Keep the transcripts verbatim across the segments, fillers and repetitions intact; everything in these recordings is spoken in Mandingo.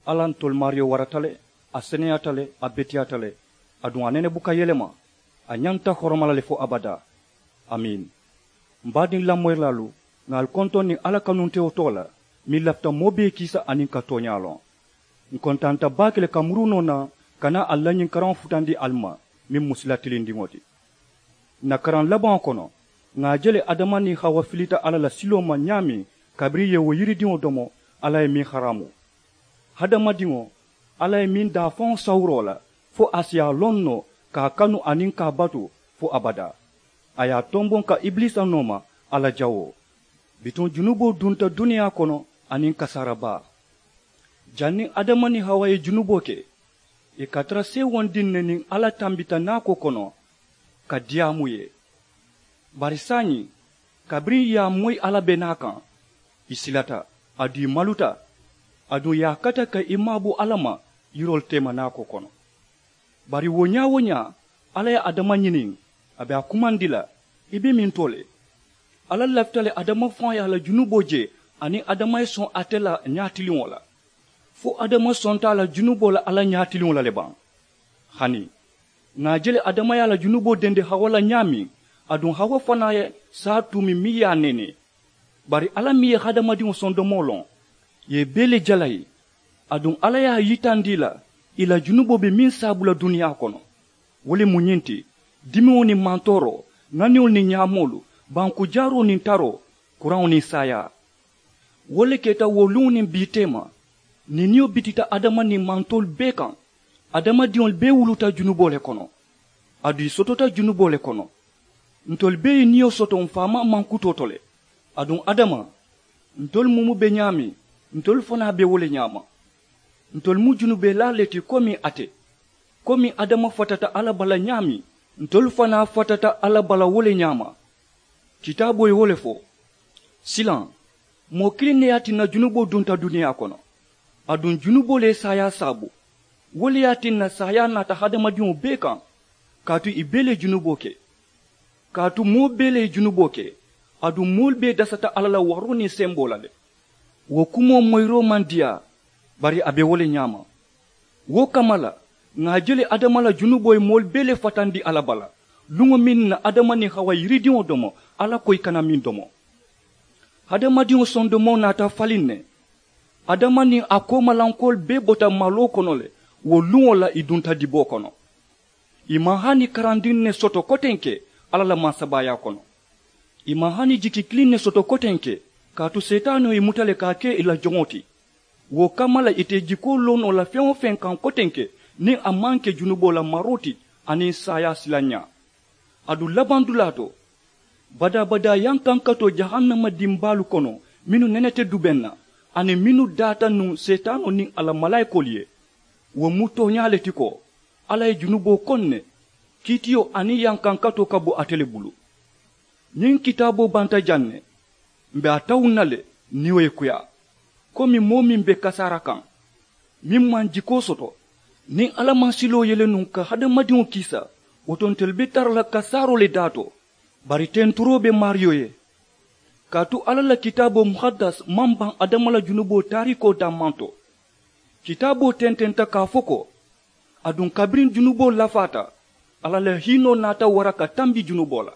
Alla ntolu maariyo warata le, a seneyaata le, a beteyaata le, aduŋ a nene buka yelema. A ñanta horoma la le fo abadaa. Amiin. M baadiŋ lamoyirilaalu, ŋà ali kontoŋ niŋ alla kanuntewo too la, meŋ lafita moo bee kiisa aniŋ ka tooñaa loŋ. Ǹ kontaanta baake le ka muruu noo naŋ ka naa ali la ñiŋ karaŋo futandi ali ma, meŋ mu sila tilindiŋo ti. Ǹ na karaŋ labaŋo kono, ŋà a je le adama niŋ hawa filita alla la siloo ma ñaameŋ, kabiriŋ ì ye wo yiridiŋo domo, alla ye meŋ haraamu. Hadamadiŋo, alla ye meŋ daafaŋo sawuroo la fo a si a loŋ noo ka a kanu aniŋ ka a batu fo abadaa. A ye a tomboŋ ka ibiliisa nooma a la jawoo. Bituŋ junuboo dunta duniyaa kono aniŋ kasaara baa. Janniŋ adama niŋ hawa ye junuboo ke, ì ka tara seewondiŋ ne niŋ alla tambita naakoo kono ka diyaamu ì ye. Bari saayiŋ, kabiriŋ ì ye a moyi alla be naa kaŋ, ì silata, aduŋ ì maluta. Aduŋ ì ye a kata ka ì maabo alla ma yiroolu teema naakoo kono. Bari wo ñaa-wo-ñaa, alla ye adama ñiniŋ, a be a kumandi la, i be mintoo le? Alla lafita le adama faŋo ye a la junuboo je, aniŋ adama ye soŋ ate la ñaatiliŋo la. Fo adama sonta a la junuboo la alla ñaatiliŋo la le baŋ? Hani, ŋà a je le adama ye a la junuboo dendi hawa la ñaameŋ, aduŋ hawa fanaa ye saa tuumi meŋ ye a neenee. Bari alla meŋ ye hadamadiŋo sondomoo loŋ, ì ye bee le jalayi. Aduŋ alla ye a yitandi ì la, ì la junuboo be meŋ saabu la duniyaa kono. Wo le mu ñiŋ ti: dimiŋo niŋ mantooroo, ŋaniŋolu niŋ ñaamoolu, banku jaaroo niŋ taroo, kuraŋo niŋ saayaa. Wo le keta wo luŋo niŋ bii teema, niiniyo bitita adama niŋ mantoolu bee kaŋ. Adamadiŋolu bee wuluta junuboo le kono, aduŋ ì sotota junuboo le kono. Ntolu bee ye niyo soto m̀ faamaa mankutoo to le. Aduŋ adama, ntolu mumu be ñaameŋ, ntolu fanaa be wo le ñaama. Ntolu mu junubelaalu le ti komiŋ ate. Komiŋ adama fatata alla bala ñaameŋ, ntolu fanaa fatata alla bala wo le ñaama. Kitaaboo ye wo le fo. Silaŋ, moo kiliŋ ne ye a tinna junuboo dunta duniyaa kono, aduŋ junuboo le ye saayaa saabu. Wo le ye a tinna saayaa naata hadamadiŋo bee kaŋ, kaatu ì bee le ye junuboo ke. Kaatu moo bee le ye junuboo ke, aduŋ moolu bee dasata alla la waroo niŋ semboo la le. Wo kumoo moyiroo maŋ diyaa, bari a be wo le ñaama. Wo kamma la, ŋà a je le adama la junuboo ye moolu bee le fatandi alla bala, luŋo meŋ na adama niŋ hawa ye yiridiŋo domo, alla ko ì kana meŋ domo. Hadamadiŋo sondomoo naata faliŋ ne. Adama niŋ a koomalankoolu bee bota maloo kono le. Wo luŋo la ì dunta diboo kono. Ì maŋ hani karandiŋ ne soto kotenke alla la mansabaayaa kono. Ì maŋ hani jiki kiliŋ ne soto kotenke, kaatu seetaanoo ye ì muta le ka a ke ì la joŋo ti. Wo kamma la ì te jikoo loo noo la feŋ-wo-feŋ kaŋ kotenke, niŋ a maŋ ke junuboo la maroo ti aniŋ saayaa silanñaa. Aduŋ labandulaa to, badaa-badaa yankankatoo jahannama dimbaalu kono, mennu nenete dubeŋ na, aniŋ mennu daata nuŋ seetaanoo niŋ a la malaayikoolu ye, wo mu tooñaa le ti ko alla ye junuboo koŋ ne, kiitiyo aniŋ yankankatoo ka bo ate le bulu. Ñiŋ kitaaboo banta jaŋ ne, m̀ be a tawuŋ na le, niyo ye kuyaa, komi moo meŋ be kasaara kaŋ, meŋ maŋ jikoo soto. Niŋ alla maŋ siloo yele nuŋ ka hadamadiŋo kiisa, wo to ntelu be tara la kasaaroo le daa to. Bari tenturoo be maariyo ye, kaatu alla la kitaaboo muhaddas maŋ baŋ adama la junuboo taariikoo dammaŋ to. Kitaaboo tententa ka a fo ko, aduŋ kabiriŋ junuboo lafaata, alla la hiinoo naata wara ka tambi junuboo la.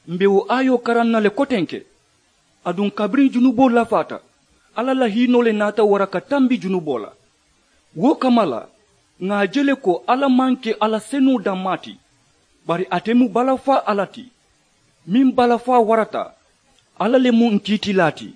M̀ be wo aayoo karaŋ na le kotenke, aduŋ kabiriŋ junuboo lafaata, alla la hiinoo le naata wara ka tambi junuboo la. Wo kamma la, ŋà a je le ko alla maŋ ke alla senuŋo dammaa ti, bari ate mu balafaa alla ti. Meŋ balafaa warata, alla le mu ǹ kiitilaa ti.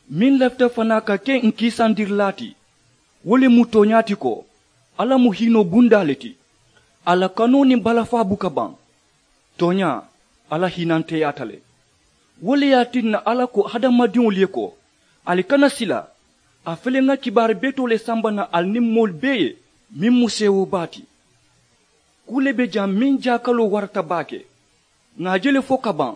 Meŋ lafita fanaa ka ke ǹ kiisandirilaa ti, wo le mu tooñaa ti ko alla mu hiinoo bundaa le ti. A la kanoo niŋ balafaa buka baŋ. Tooñaa, alla hiinanteyaata le. Wo le ye a tinna alla ko hadamadiŋolu ye ko, ali kana sila. A fele ŋa kibaari betoo le samba naŋ ali niŋ moolu bee ye, meŋ mu seewoo baa ti. Kuu le be jaŋ meŋ jaakaloo warata baake. Ŋà a je le fo ka baŋ,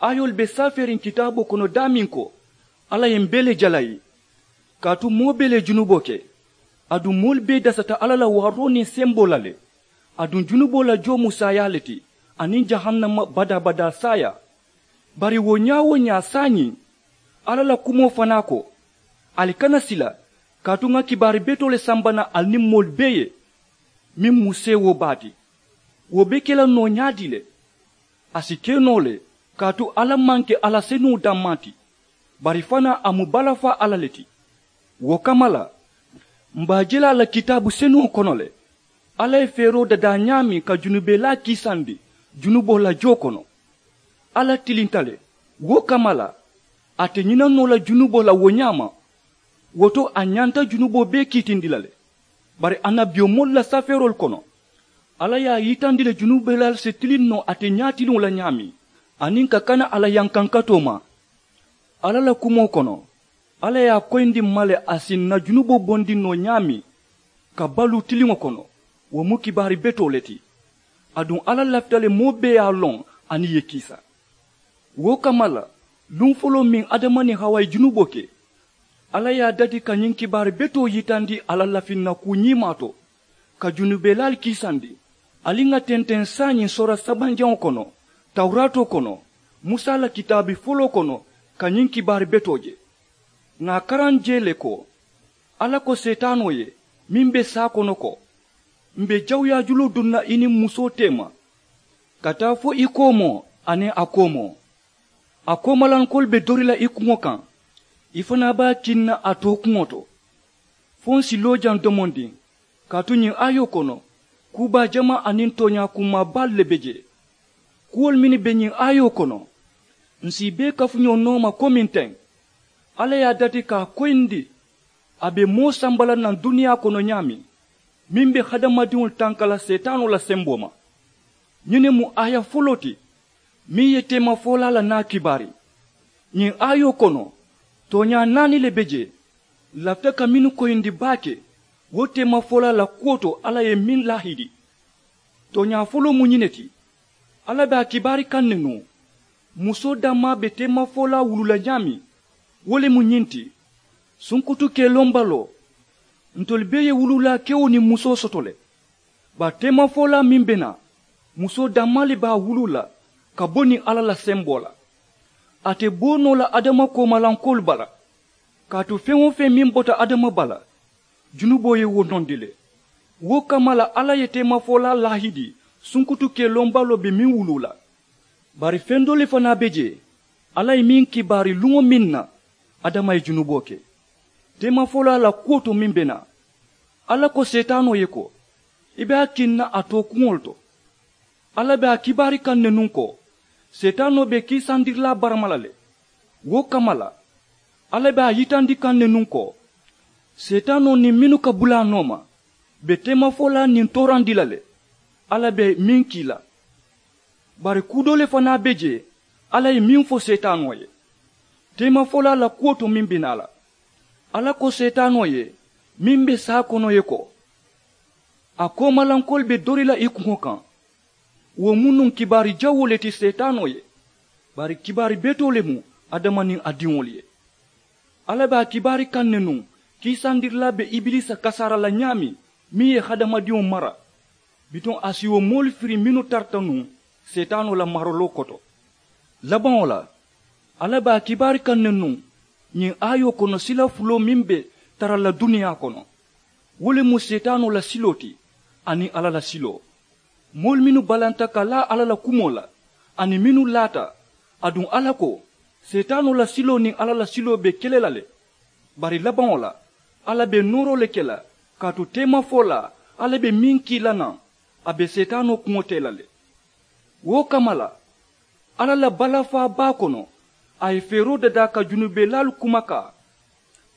aayoolu be saafeeriŋ kitaaboo kono daameŋ ko, alla ye m̀ bee le jalayi. Kaatu moo bee le ye junuboo ke, aduŋ moolu bee dasata alla la waaroo niŋ semboo la le. Aduŋ junuboo la joo mu saayaa le ti, aniŋ jahannama badaa-badaa saayaa. Bari wo ñaa-wo-ñaa saayiŋ, alla la kumoo fanaa ko, ali kana sila, Kaatu ŋa kibaari betoo le samba naŋ ali niŋ moolu bee ye meŋ mu seewoo baa ti. Wo be ke la noo ñaadii le? A si ke noo le. Kaatu alla maŋ ke alla senuŋo dammaa ti, bari fanaa a mu balafaa alla le ti. Wo kamma la, m̀ be a je la a la kitaabu senuŋo kono le, alla ye feeroo dadaa ñaameŋ ka junubelaa kiisandi junuboo la joo kono. Alla tilinta le. Wo kamma la, a te ñina noo la junuboo la wo ñaama. Wo to a ñanta junuboo bee kiitindi la le. Bari annabiyomoolu la safeeroolu kono, alla ye a yitandi le junubelaalu si tiliŋ noo ate ñaatiliŋo la ñaameŋ, aniŋ ka kana a la yankankatoo ma. Alla la kumoo kono, alla ye a koyindi m̀ ma le a si ǹ na junuboo bondi noo ñaameŋ ka baluu tiliŋo kono. Wo mu kibaari betoo le ti. Aduŋ alla lafita le moo bee ye a loŋ a niŋ ì ye kiisa. Wo kamma la, luŋ foloo meŋ adama niŋ hawa ye junuboo ke, alla ye a dati ka ñiŋ kibaari betoo yitandi a la lafinnakuu ñiimaa to, ka junubelaalu kiisandi. Ali ŋà tenteŋ saayiŋ soora sabanjaŋo kono, tawuraatoo kono, musa la kitaabi foloo kono, ka ñiŋ kibaari betoo je. Ŋà a karaŋ jee le ko, alla ko seetaanoo ye meŋ be saa kono ko, m̀ be jawuyaa juloo duŋ na i niŋ musoo teema, ka taa fo i koomoo aniŋ a koomoo. A koomalankoolu be dori la i kuŋo kaŋ, i fanaa be a kiŋ na a tookuŋo to. Fo ǹ si loo jaŋ domondiŋ, kaatu ñiŋ aayoo kono, kuu baa jamaa aniŋ tooñaa kummaa baalu le be jee. Kuwolu mennu be ñiŋ aayoo kono, ǹ si i bee kafuñoo nooma komiŋ teŋ. Alla ye a dati ka a koyindi a be moo samba la naŋ duniyaa kono ñaameŋ, meŋ be hadamadiŋolu tanka la seetaanoo la semboo ma. Ñiŋ ne mu aaya foloo ti meŋ ye teemafolaa la naa kibaari. Ñiŋ aayoo kono, tooñaa naani le be jee, lafita ka mennu koyindi baake wo teemafolaa la kuwo to alla ye meŋ laahidi. Tooñaa foloo mu ñiŋ ne ti, alla be a kibaari kaŋ ne nuŋ. Musoo dammaa be teemafolaa wuluu la ñaameŋ, wo le mu ñiŋ ti, sunkutu kelombaloo. Ntolu bee ye wuluulaa kewo niŋ musoo soto le. Bari teemafolaa meŋ be naa, musoo dammaa le be a wuluu la ka bo niŋ alla la semboo la. A te boo noo la adama koomalankoolu bala. Kaatu feŋ-wo-feŋ meŋ bota adama bala, junuboo ye wo nondi le. Wo kamma la alla ye teemafolaa laahidi sunkutu kelombaloo be meŋ wuluu la. Bari feŋ doo le fanaa be jee, alla ye meŋ kibaari luŋo meŋ na adama ye junuboo ke teemafolaa la kuwo to meŋ be naa. Alla ko seetaanoo ye ko, i be a kiŋ na a tookuŋo le to. Alla be a kibaari kaŋ ne nuŋ ko, seetaanoo be kiisandirilaa barama la le. Wo kamma la, alla be a yitandi kaŋ ne nuŋ ko, seetaanoo niŋ mennu ka bulaa nooma be teemafolaa niŋ toorandi la le. Alla be meŋ kii la. Bari kuu doo le fanaa be jee, alla ye meŋ fo seetaanoo ye teemafolaa la kuwo to meŋ be naa la. Alla ko seetaanoo ye meŋ be saa kono ye ko, a koomalankoolu be dori la i kuŋo kaŋ. Wo mu nuŋ kibaari jawoo le ti seetaanoo ye, bari kibaari betoo le mu adama niŋ a diŋolu ye. Alla be a kibaari kaŋ ne nuŋ kiisandirilaa be ibiliisa kasaara la ñaameŋ meŋ ye hadamadiŋo mara. Bituŋ a si wo moolu firi mennu tarata nuŋ seetaanoo la maraloo koto. Labaŋo la, alla be a kibaari kaŋ ne nuŋ ñiŋ aayoo kono sila fuloo meŋ be tara la duniyaa kono. Wo le mu seetaanoo la siloo ti aniŋ alla la siloo. Moolu mennu balanta ka laa alla la kumoo la aniŋ mennu laata, aduŋ alla ko seetaanoo la siloo niŋ alla la siloo be kele la le. Bari labaŋo la, alla be nooroo le ke la, kaatu teemafolaa alla be meŋ kii la naŋ, a be seetaanoo kuŋo tee la le. Wo kamma la, alla la balafaa baa kono, a ye feeroo dadaa ka junubelaalu kumakaa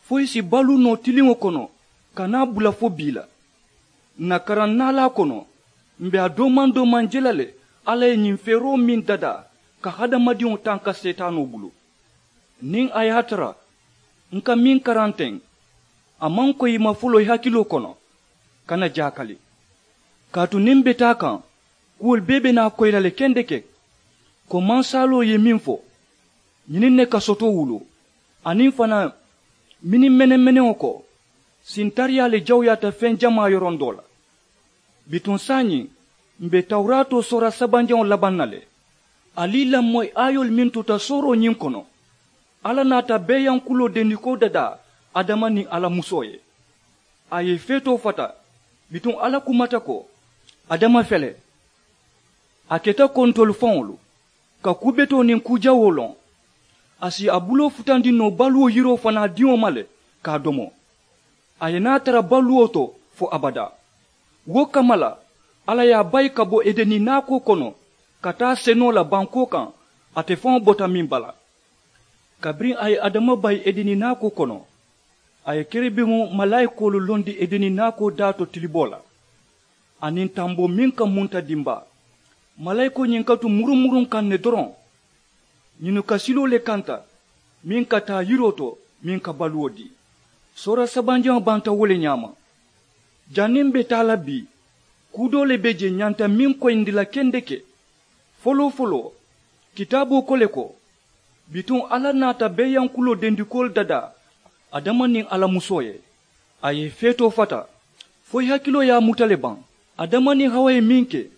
fo i si baluu noo tiliŋo kono ka naa bula fo bii la. Ǹ na karaŋ naalaa kono, m̀ be a doomaŋ-doomaŋ je la le alla ye ñiŋ feeroo meŋ dadaa ka hadamadiŋo tanka seetaanoo bulu. Niŋ a ye a tara ǹ ka meŋ karaŋ teŋ, a maŋ koyi i ma foloo i hakiloo kono, kana jaakali. Kaatu niŋ m̀ be taa kaŋ, kuwolu bee be naa koyi la le kendeke. Ko mansaaloo ye meŋ fo, ñiniŋ ne ka soto wuluu, aniŋ fanaa miniŋ meneŋ-meneŋo ko, sintariyaa le jawuyaata feŋ jamaa yorondoo la. Bituŋ saayiŋ, m̀ be tawuraatoo soora sabanjaŋo labaŋ na le. Ali i lamoyi aayoolu meŋ tuta sooroo ñiŋ kono, alla naata beeyankuloo dendikoo dadaa adama niŋ a la musoo ye. A ye feetoo fata. Bituŋ alla kumata ko, adama fele, a keta ko ntolu faŋolu ka kuu betoo niŋ kuu jawoo loŋ. A si a buloo futandi noo baluwo yiroo fanaa diŋo ma le ka a domo. A ye naa tara baluwo to fo abadaa. Wo kamma la, alla ye a bayi ka bo edeni naakoo kono ka taa senoo la bankoo kaŋ. Ate faŋo bota meŋ bala. Kabiriŋ a ye adama bayi edeni naakoo kono, a ye kerebimu malaayikoolu londi edeni naakoo daa to tiliboo la, aniŋ tamboo meŋ ka munta dimbaa. Malaayikoo ñiŋ ka tu murumuruŋ kaŋ ne doroŋ. Ñiŋ ka siloo le kanta meŋ ka taa yiroo to, meŋ ka baluwo dii. Soora sabanjaŋo banta wo le ñaama. Janniŋ be taa la bii, kuu doo le be je ñanta meŋ koyindi la kendeke. Foloo foloo, kitaaboo ko le ko, bituŋ alla naata beeyankuloo dendikoolu dadaa adama niŋ a la musoo ye. A ye i feetoo fata, fo i hakiloo ye a muta le baŋ? Adama niŋ hawa ye meŋ ke,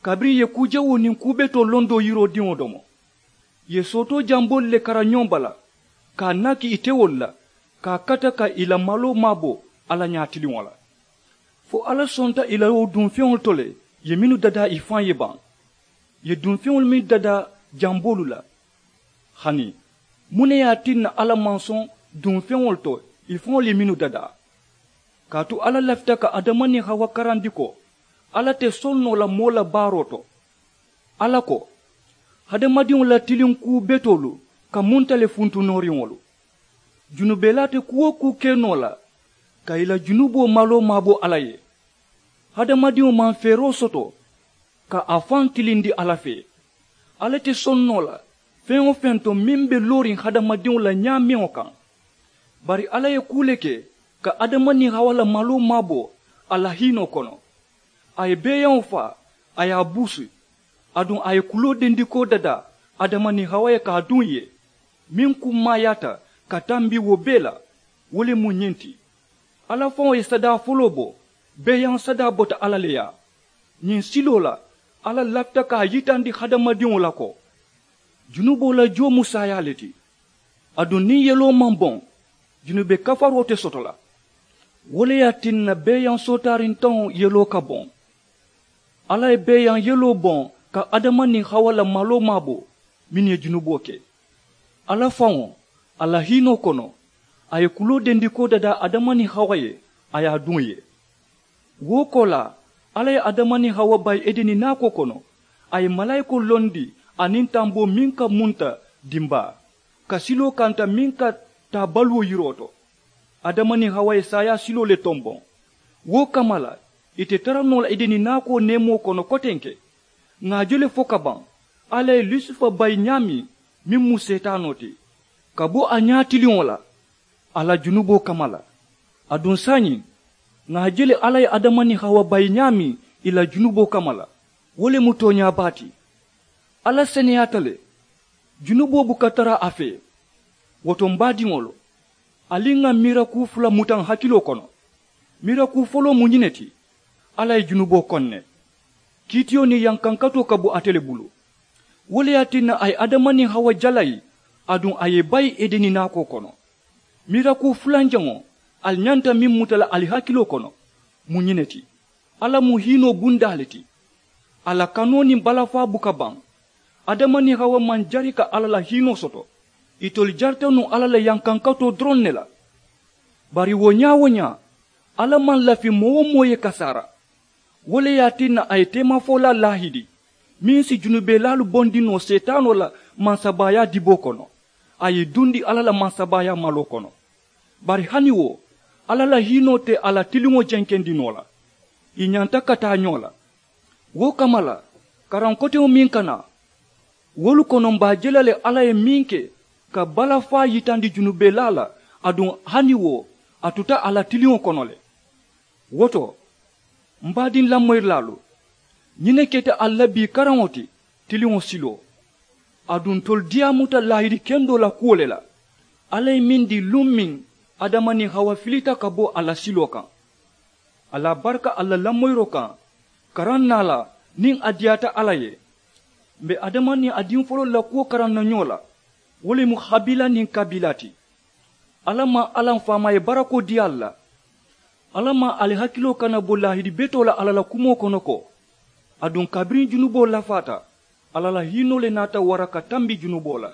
kabiriŋ i ye kuu jawoo niŋ kuu betoo londoo yiroo diŋo domo, i ye sootoo jamboolu le kara ñoŋ bala, ka a naki i tewolu la, ka a kata ka i la maloo maabo alla ñaatiliŋo la. Fo alla sonta i la wo duŋ feŋolu to le, i ye mennu dadaa i faŋ ye baŋ. I ye duŋ feŋolu mennu dadaa jamboolu la. Hani, muŋ ne ye a tinna alla maŋ soŋ duŋ feŋolu to i faŋolu ye mennu dadaa? Kaatu alla lafita ka adama niŋ hawa karandi ko, alla te soŋ noo la moo la baaroo to. Alla ko, hadamadiŋo la tiliŋ kuu betoolu ka munta le funtu nooriŋolu. Junubelaa te kuu-wo-kuu ke noo la ka i la junuboo maloo maabo alla ye. Hadamadiŋo maŋ feeroo soto ka a faŋ tilindi alla fee. Alla te soŋ noo la feŋ-wo-feŋ to meŋ be looriŋ hadamadiŋo la ñaameŋo kaŋ. Bari alla ye kuu le ke ka adama niŋ hawa la maloo maabo a la hiinoo kono. A ye beeyaŋo faa, a ye a buusu, aduŋ a ye kuloo dendikoo dadaa adama niŋ hawa ye ka a duŋ ì ye. Meŋ kummaayaata ka tambi wo bee la, wo le mu ñiŋ ti. Alla faŋo ye sadaa foloo bo. Beeyaŋ sadaa bota alla le yaa. Ñiŋ siloo la, alla lafita ka a yitandi hadamadiŋo la ko, junuboo la joo mu saayaa le ti. Aduŋ niŋ yeloo maŋ boŋ, junube kafaroo te soto la. Wo le ye a tinna beeyaŋ sootaariŋ taŋo yeloo ka boŋ. Alla ye beeyaŋ yeloo boŋ ka adama niŋ hawa la maloo maabo, mennu ye junuboo ke. Alla faŋo, a la hiinoo kono, a ye kuloo dendikoo dadaa adama niŋ hawa ye, a ye a duŋ ì ye. Wo koolaa, alla ye adama niŋ hawa bayi edeni naakoo kono. A ye malaayikoo londi aniŋ tamboo meŋ ka munta dimbaa, ka siloo kanta meŋ ka taa baluwo yiroo to. Adama niŋ hawa ye saayaa siloo le tomboŋ. Wo kamma la, ì te tara noo la edeni naakoo neemoo kono kotenke. Ŋà a je le fo ka baŋ, alla ye lusifa bayi ñaameŋ, meŋ mu seetaanoo ti, ka bo a ñaatiliŋo la, a la junuboo kamma la. Aduŋ saayiŋ, ŋà a je le alla ye adama niŋ hawa bayi ñaameŋ ì la junuboo kamma la. Wo le mu tooñaa baa ti. Alla seneyaata le. Junuboo buka tara a fee. Wo to m baadiŋolu, ali ŋà miira kuu fula muta n hakiloo kono. Miira kuu foloo mu ñiŋ ne ti, alla ye junuboo koŋ ne. Kiitiyo niŋ yankankatoo ka bo ate le bulu. Wo le ye a tinna a ye adama niŋ hawa jalayi, aduŋ a ye i bayi edeni naakoo kono. Miira kuu fulanjaŋo ali ñanta meŋ muta la ali hakiloo kono, mu ñiŋ ne ti, alla mu hiinoo bundaa le ti. A la kanoo niŋ balafaa buka baŋ. Adama niŋ hawa maŋ jari ka alla la hiinoo soto. Itolu jarita nuŋ alla la yankankatoo doroŋ ne la. Bari wo ñaa-wo-ñaa, alla maŋ lafi moo-wo-moo ye kasaara. Wo le ye a tinna a ye teemafolaa laahidi, meŋ si junubelaalu bondi noo seetaanoo la mansabaayaa diboo kono, a ye i dundi alla la mansabaayaa maloo kono. Bari hani wo, alla la hiinoo te a la tiliŋo jenkendi noo la. Ì ñanta ka taa ñoo la. Wo kamma la, karaŋ koteŋo meŋ ka naa, wolu kono m be a je la le alla ye meŋ ke ka balafaa yitandi junubelaa la. Aduŋ hani wo, a tuta a la tiliŋo kono le. Wo to, m baadiŋ lamoyirilaalu, ñiŋ ne keta ali la bii karaŋo ti, tiliŋo siloo. Aduŋ ntolu diyaamuta laahidi kendoo la kuwo le la, alla ye meŋ dii luŋ meŋ adama niŋ hawa filita ka bo a la siloo kaŋ. Ali a baraka ali la lamoyiroo kaŋ, karaŋ naa la, niŋ a diyaata alla ye. M be adama niŋ a diŋ foloolu la kuwo karaŋ na ñoo la, wo le mu habiila niŋ kabiila ti. Alla maŋ alla m faamaa ye barakoo dii ali la. Alla maŋ ali hakiloo kana bo laahidi betoo la alla la kumoo kono ko, aduŋ kabiriŋ junuboo lafaata, alla la hiinoo le naata wara ka tambi junuboo la.